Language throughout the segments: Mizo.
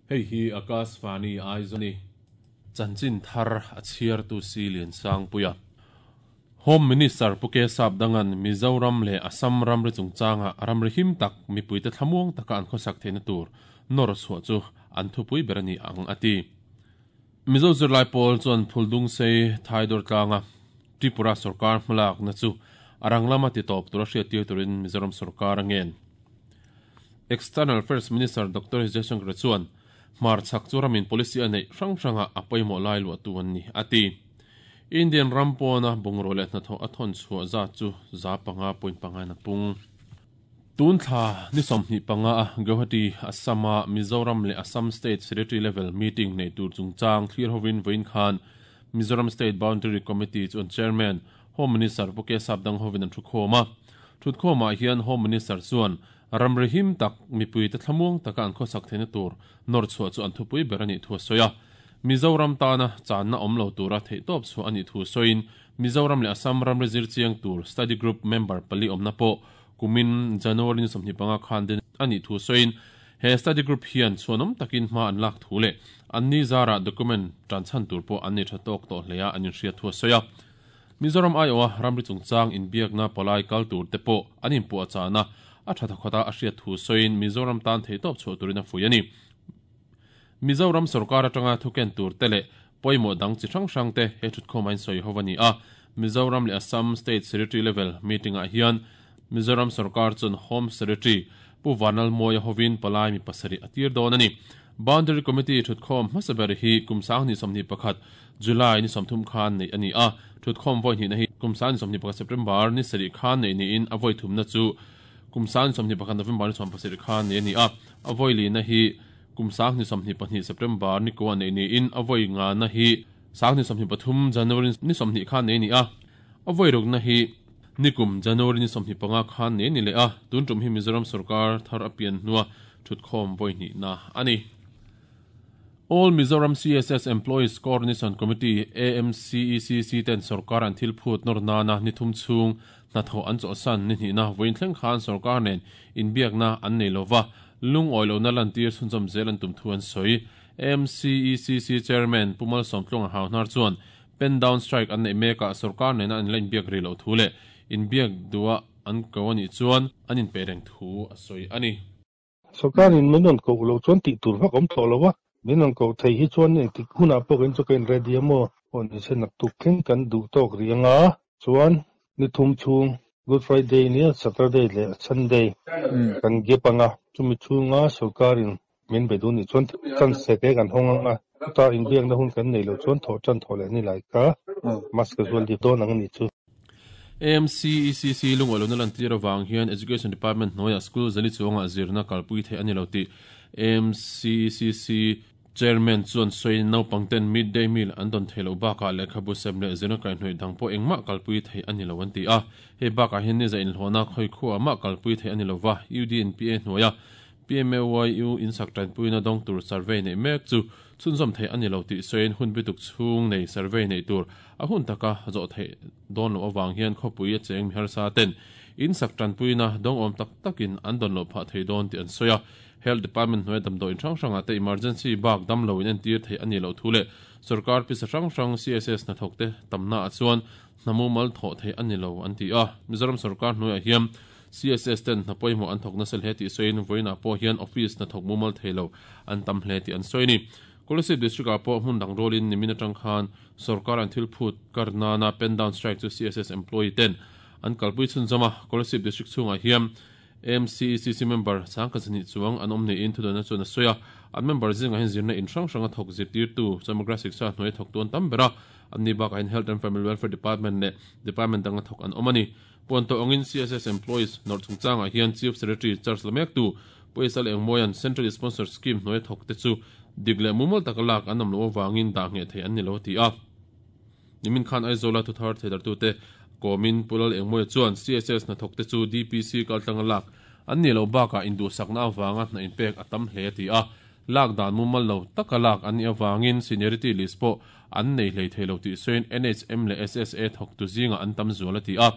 Hei hi Akashvani Aizawl a ni. Chanchin thar a chhiartu si Liansangpuia. Home Minister Pu Kesap Dangan Mizoram leh Assam ramri chungchanga ramri him tak mipuite thlamuang taka an khawsak theihna tur nawr chhuah chu an thupui ber a ni ang a ti. Mizo zirlai pawl chuan Phuldungsei Thaidawr tlanga Tripura sorkar hmalakna chu a rang lama titawp tura hriattir turin Mizoram sorkar a ngen. External Affairs Minister Doctor Jaishankar chuan hmarchhak chu ramin policy a neih hrang hrangah a pawimawh lai luahtu an ni, a ti. Indian ram pawna bungraw leh hnathawh a thawn chhuah zat chu 500.5 in a pung. Tun thla ni 25 a Guwahati, Assam-a Mizoram leh Assam State Secretary Level Meeting neih tur chungchang thlir hovin vawiin khan Mizoram State Boundary Committee chuan Chairman, Home Minister Pu Kesap dang hovin an thukhawm a. Thutkhawmah hian Home Minister chuan ramri him tak mipuite thlamuang taka an khawsak theihna tur nawr chhuah chu an thupui ber a nih thu a sawi a. Mizoram tana channa awm lo tura theihtawp chhuah a nih thu sawiin Mizoram leh Assam ramri zir chiang tur Study Group member pali awmna pawh kumin January ni 25 khan den a nih thu sawiin he Study Group hian chhuanawm takin hma an lak thu leh anni zarah document tan chhan tur pawh an nei tha tawk tawh hle a an inhriat thu a sawi a. Mizoram aiawha ramri chungchang inbiakna palai kal tur te pawh an inpuahchahna a tha thawkhat a a hriat thu sawiin Mizoram tan theihtawp chhuah turin a fuih a ni. Mizoram sorkar atanga thuken tur te leh pawimawh dang chi hrang hrang te he thutkhawm a insawi ho a ni a. Mizoram leh Assam State Secretary Level Meeting ah hian Mizoram sorkar chuan Home Secretary Pu Vanlalmawia hovin palai mi pasarih a tir dawn a ni. Boundary Committee thutkhawm hmasa ber hi kum 2021 July ni 30 khan neih a ni a. Thutkhawm vawi hnihna hi kum 2021 September ni sarih khan neih niin a vawi thumna chu kum 2021 November ni 17 khan neih a ni a. A vawi lina hi Kum 2022 September ni kua neih niin a vawi ngana hi 2023 January ni 20 khan nei a ni a, a vawi rukna hi nikum January ni 25 khan nei a ni leh a, tun tum hi Mizoram sorkar thar a pian hnua thutkhawm vawi hnihna a ni. All Mizoram CSS Employees Coordination Committee, AMCECC, ten sorkar an thil phut nawr nana ni thum chhung hnathawh an chawlhsan ni hnihna vawiin thleng khan sorkar nen inbiakna an nei lova, lungawi lohna lantir chhunzawm zel an tum thu an sawi. MCECC Chairman Pu Malsawmtluanga Hauhnar chuan pen down strike an neih mekah sorkar nena an la inbiak rih loh thu leh inbiak duha an ko a nih chuan an inpeih reng thu a sawi a ni. Sorkarin min rawn koh loh chuan tih tur vak awm tawh lo a, min rawn koh thei hi chuan engtik hunah pawh kan chu ka in ready a maw? Aw ni se naktuk thleng kan duh tawk rih ang a, chuan ni thum chhung Good Friday nia Saturday leh Sunday kan gap ang a, chumi chhunga sorkarin min be duh nih chuan chance te kan hawng ang a, chutah inbiakna hun kan neih loh chuan thawh tan thawh leh ni lai kha mask zual dip dawn ang a nih chu. AMCECC lungawi lohna lantir avang hian Education Department hnuaiah school zali chuangah zirna kalpui theih a ni lo tih AMCECC Chairman chuan sawiin naupangten mid-day meal an dawn theih loh bakah lehkhabu sem leh zirna kaihhnawih dang pawh engmah kalpui theih a ni lo an ti a. Hei bakah hian ni za inhlawhna khawi khuaah mah kalpui theih a ni lova, UDNPA hnuaia PMAYU insak tanpuina dawng tur survey neih mek chu chhunzawm theih a ni lo tih sawiin hun bituk chhung nei survey neih tur a hun taka zawh theih dawn loh avang hian khawpui a cheng mi harsa ten insak tanpuina dawng awm tak takin an dawn loh phah thei dawn tih an sawi a. Health Department hnuaia damdawiin hrang hrangah te emergency bak dam lo in entir theih a nih loh thu leh sorkar pisa hrang hrang CSS hnathawkte tamna ah chuan hna mumal thawh theih a ni lo an ti a. Mizoram sorkar hnuaiah hian CSS ten hna pawimawh an thawk nasa hle tih sawiin vawiinah pawh hian office hna thawk mumal thei lo an tam hle tih an sawi a ni. Kolasib District ah pawh hmun dang rawlin nimin atang khan sorkar an thil phut kar nana pen down strike chu CSS employee ten an kalpui chhunzawm a. Kolasib District chhungah hian MCECC member changkhat zahnih chuang an awm niin thudawnna chuan a sawi a. An member zingah hian zirna in hrang hranga thawk zirtirtu Samagra Shiksha hnuaia thawktu an tam ber a. Anni bakah hian Health and Family Welfare Department leh Department danga thawk an awm a ni. Puan tawh angin CSS employees nawrh chungchangah hian Chief Secretary charge la mektu Pu Esal Engmawia'n Central Sponsored Scheme hnuaia thawkte chu dik leh mumal taka lak an awm loh avangin dah ngheh theih an ni lo a ti a. Nimin khan Aizawla thuthar theidartute kawmin Pu Lal Engmawia chuan CSS hnathawkte chu DPC kaltlanga lak an nih loh bakah induhsakna avanga hna inpek a tam hle a ti a. Lak dan mumal lo taka lak an nih avangin seniority list pawh an nei hlei thei lo tih sawiin NHM leh SSA thawktu zingah an tam zual a ti a.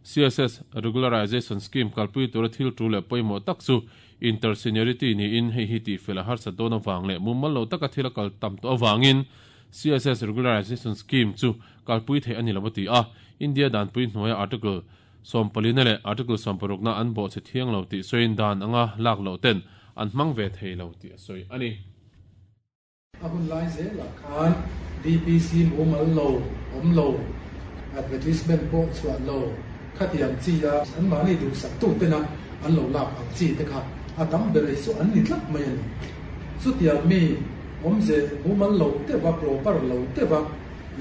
CSS Regularization Scheme kalpui tura thil tul leh pawimawh tak chu Inter-seniority niin hei hi tihfel a harsat dawn avang leh mumal lo taka thil a kal tam tawh avangin CSS Regularization Scheme chu kalpui theih a ni lo a ti a. India danpui hnuaia Article sawmpalina leh Article sawmparukna an bawhchhe thiang lo tih sawiin dan anga lak loh ten an hmang ve thei lo tih a sawi a ni. A hun lai zelah khan DPC mumal lo, awm lo, advertisement pawh chhuah lo, khatiang chi a anmahni duhsak tu tena an lo lak ang chi te kha a tam ber hi chu an ni tlat mai a ni. Chutiang mi awmze mumal lo deuha, proper lo deuha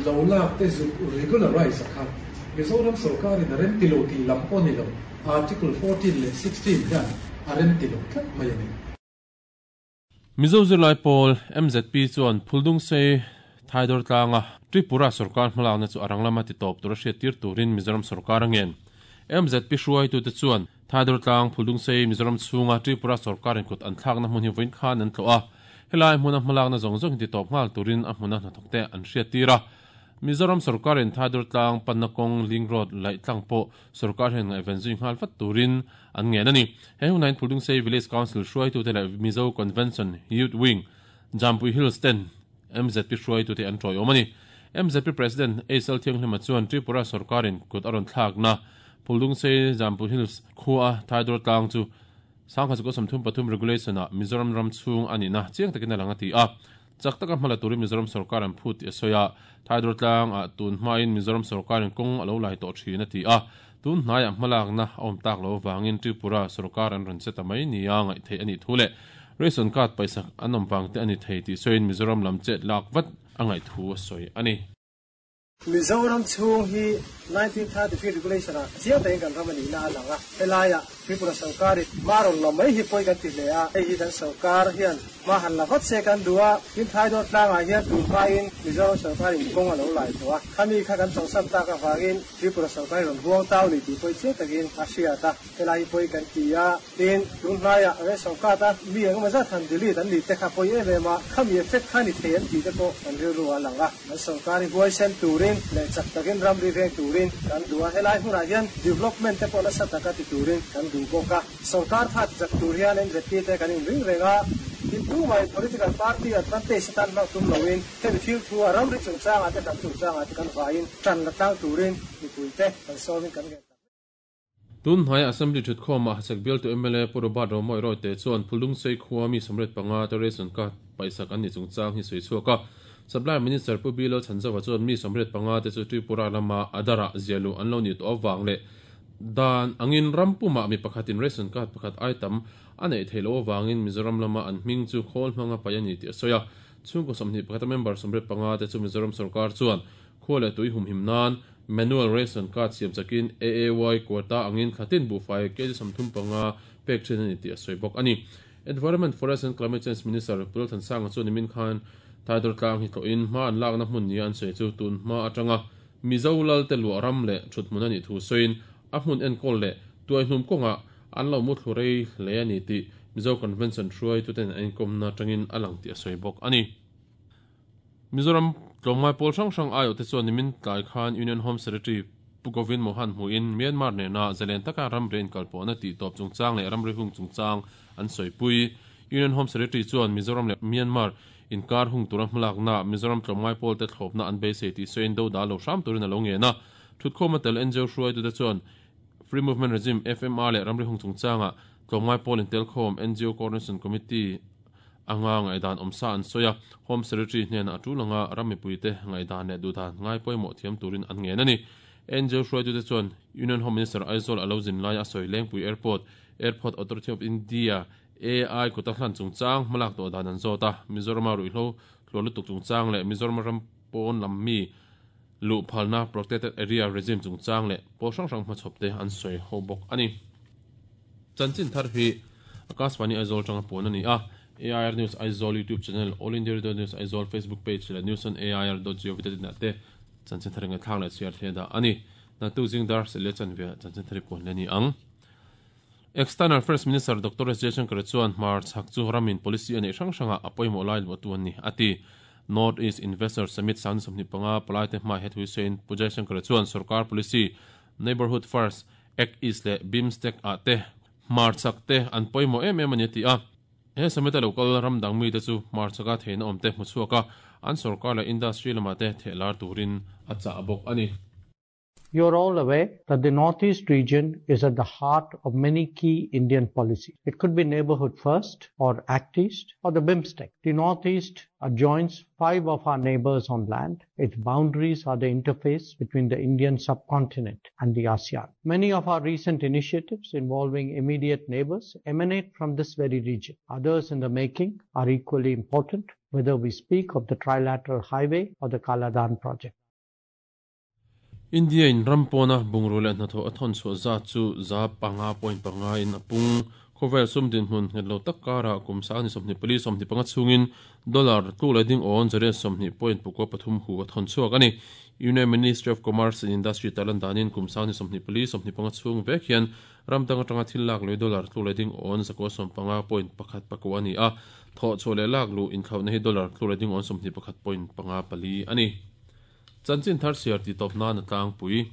lo lak te zuk regularize a kha Mizoram sorkarin a remti lo tih lam pawh ni lo, Article 14 leh 16 hian a remti lo tlat mai a ni. Mizo zirlai pawl, MZP, chuan Phuldungsei Thaidawr tlanga Tripura sorkar hmalakna chu a rang lama titawp tura hriattir turin Mizoram sorkar a ngen. MZP hruaitute chuan Thaidawr tlang Phuldungsei Mizoram chhunga Tripura sorkarin kut an thlakna hmun hi vawiin khan an tlawh a, helai hmuna hmalakna zawng zawng hi titawp nghal turin a hmuna hnathawkte an hriattir a. Mizoram sorkarin Thaidawr tlang panna kawng Link Road laih tlang pawh sorkar hian ngaihven zui nghal vat turin an ngen a ni. He hunah hian Phuldungsei Village Council hruaitute leh Mizo Convention Youth Wing, Jampui Hills ten MZP hruaitute an tawiawm a ni. MZP President Aisal Thianghlima chuan Tripura sorkarin kut a rawn thlakna Phuldungsei Jampui Hills khua Thaidawr tlang chu 1933 Regulation-ah Mizoram ram chhung a nihna chiang takin a lang a ti a. Chak taka hmala turin Mizoram sorkar an phut tih a sawi a, Thaidawr tlangah tun hmain Mizoram sorkarin kawng a lo lai tawh thin a ti a, tun hnaiah hmalakna a awm tak lo avangin Tripura sorkar an rawn che ta mai nia ngaih theih a nih thu leh ration card paisak an awm vang te a ni thei tih sawiin Mizoram lam chet lak vat a ngaih thu a sawi a ni. Mizoram chhung hi 1933 Regulation ah chiang takin kan ram a nihna a lang a, helaiah Tripura sorkarin hma rawn la mai hi pawi kan ti hle a, hei hi kan sorkar hian hma han la vat se kan duh a, tin Thaidawr tlangah hian tun hmain Mizoram sorkarin kawng a lo lai tawh a, khami kha kan chawlhsan tak avangin Tripura sorkarin rawn huang tau ni tih pawi chiang takin a hriat a, helai hi pawi kan ti a. Tin, tun hnaiah ration card a mi engemaw zat han delete an nih te kha pawi em em a, khami effect kha ni thei an tih te pawh kan rilru a lang a. Kan sorkar hi huaisen turin leh chak takin ramri veng turin kan duh a, helai hmunah hian development te pawh nasa taka ti turin kan duh bawk a. Sorkar tha ti chak tur hian MZP te kan inring reng a, tin tumah political party advantage atan hmang tum loin hemi thil thu a ramri chungchangah te hnam chungchangah te kan vaiin tan la tlang turin mipuite kan sawmin kan ngen tak. Tun hnaia Assembly thutkhawmah Hachhek bialtu mla Pu Robert Romawih Rawite chuan Phulungsei khua mi 25 te ration card paihsak an ni chungchang hi sawi chhuak a. Supply Minister Pu Bilal Chhanzova chuan mi 25 te chu Tripura lama Adhar-ah ziah luh an lo nih tawh avang leh dan angin ram pumah mi pakhatin ration card pakhat ai tam a neih theih loh avangin Mizoram lama an hming chu khawl hmanga paih a ni tih a sawi a. Chhungkaw 21 a member 85 te chu Mizoram sorkar chuan Khua leh tui humhim nan manual ration card siam chakin AAY quota angin thlatin buhfai kg 35 pek thin a ni tih a sawi bawk a ni. Environment, Forest and Climate Change Minister Pu Lalthansanga chuan nimin khan Thaidawr tlang hi tlawhin hma an lakna hmun nia an sawi chu tun hma atanga Mizo lalte luah ram leh thuthmun a nih thu sawiin a hmun enkawl leh tuaihnum kawngah an lo muthlu rei hle a ni tih Mizo Convention hruaituten an inkawmna atangin a lang tih a sawi bawk a ni. Mizoram tlawmngai pawl hrang hrang aiawhte chuan nimin tlai khan Union Home Secretary Pu Govind Mohan hmuhin Myanmar nena zalen taka ramri inkalpawhna tihtawp chungchang leh ramri hung chungchang an sawipui. Union Home Secretary chuan Mizoram leh Myanmar inkar hung tura hmalakna Mizoram tlawmngai pawlte thlawpna an beisei tih sawiin do dah lo hram turin a lo ngen a. Thutkhawma tel NGO hruaitute chuan Free Movement Regime, FMR, leh ramri hung chungchanga tlawmngai pawl intelkhawm NGO Coordination Committee anga ngaihdan awmsa an sawi a, Home Secretary hnenah a tul anga ram mipuite ngaihdan leh duhdan ngai pawimawh thiam turin an ngen a ni. NGO hruaitute chuan Union Home Minister Aizawl a lo zin laia a sawi Lengpui Airport, Airport Authority of India, AI, kuta hlan chungchang hmalak tawh dan an zawt a, Mizorama ruihhlo tluan lutuk chungchang leh Mizorama ram pawn lam mi luh phalna Protected Area Regime chungchang leh pawl hrang hrang hmachhawpte an sawi ho bawk a ni. Chanchin thar hi Akashvani Aizawl tanga puan a ni a, AIR News Aizawl YouTube channel, All India Radio News Aizawl Facebook page leh News on AIR dot gov dot in ah te chanchin thar ngaihthlak leh chhiar thei a dah a ni. Naktuk zing dar seh leh chanve ah chanchin thar hi puan leh a ni ang. External Affairs Minister Doctor S Jaishankar chuan hmar chhak chu ramin policy a neih hrang hrangah a pawimawh lai luahtu an ni, a ti. North East Investor Summit 2025 palaite hmai he thui sawiin Pu Jaishankar chuan sorkar policy Neighbourhood First, Act East leh BIMSTEC ah te. Hmarchhak te an pawimawh em em a ni a ti a. He summit a lo kal ram dang mite chu hmarchhaka theihna awm te hmu chhuak a, an sorkar leh industry lamah te theh lar turin a chah bawk a ni. You are all aware that the Northeast region is at the heart of many key Indian policies. It could be Neighbourhood First or Act East or the BIMSTEC. The Northeast adjoins five of our neighbours on land. Its boundaries are the interface between the Indian subcontinent and the ASEAN. Many of our recent initiatives involving immediate neighbours emanate from this very region. Others in the making are equally important, whether we speak of the Trilateral Highway or the Kaladan project. India in ram pawna bungrua leh hnathawh a thawn chhuah zat chu 500.5 in a pung. Khawvel sum dinhmun nghet lo tak karah kum sang ni 24 25 chhungin dollar tluk leh ding awn zariat 20.43 hu a thawn chhuak a ni. Union Ministry of Commerce and Industry tarlan danin kum sang ni 24 25 chhung vek hian ram dang atanga thil lak lui dollar tluk leh ding awn 195.1 pakua a ni a, thawh chhuah leh lak luh inthlauhna hi dollar tluk leh ding awn 21.54 a ni. Chanchin thar chhiar tih tawp nan a tlangpui.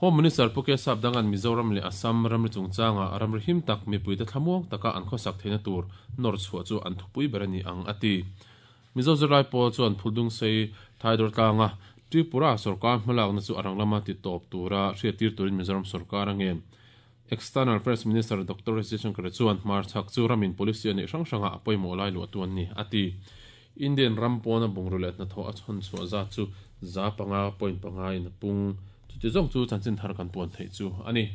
Home Minister Pu K Sapdanga'n Mizoram leh Assam ramri chungchanga ramri him tak mipuite thlamuang taka an khawsak theihna tur nawr chhuah chu an thupui ber a ni ang a ti. Mizo zirlai pawl chuan Phuldungsei Thaidawr tlanga Tripura sorkar hmalakna chu a rang lama ti tawp tura hriattir turin Mizoram sorkar a ngen. External Affairs Minister Doctor S Jaishankar chuan hmarchhak chu ramin policy a neih hrang hrangah a pawimawh lai luah tu an ni a ti. Indian ram pawna bungrua leh hnathawh a chhawn chhuah zat chu 500.5 in a pung. Chuti zawng chu chanchin thar kan puan theih chu a ni.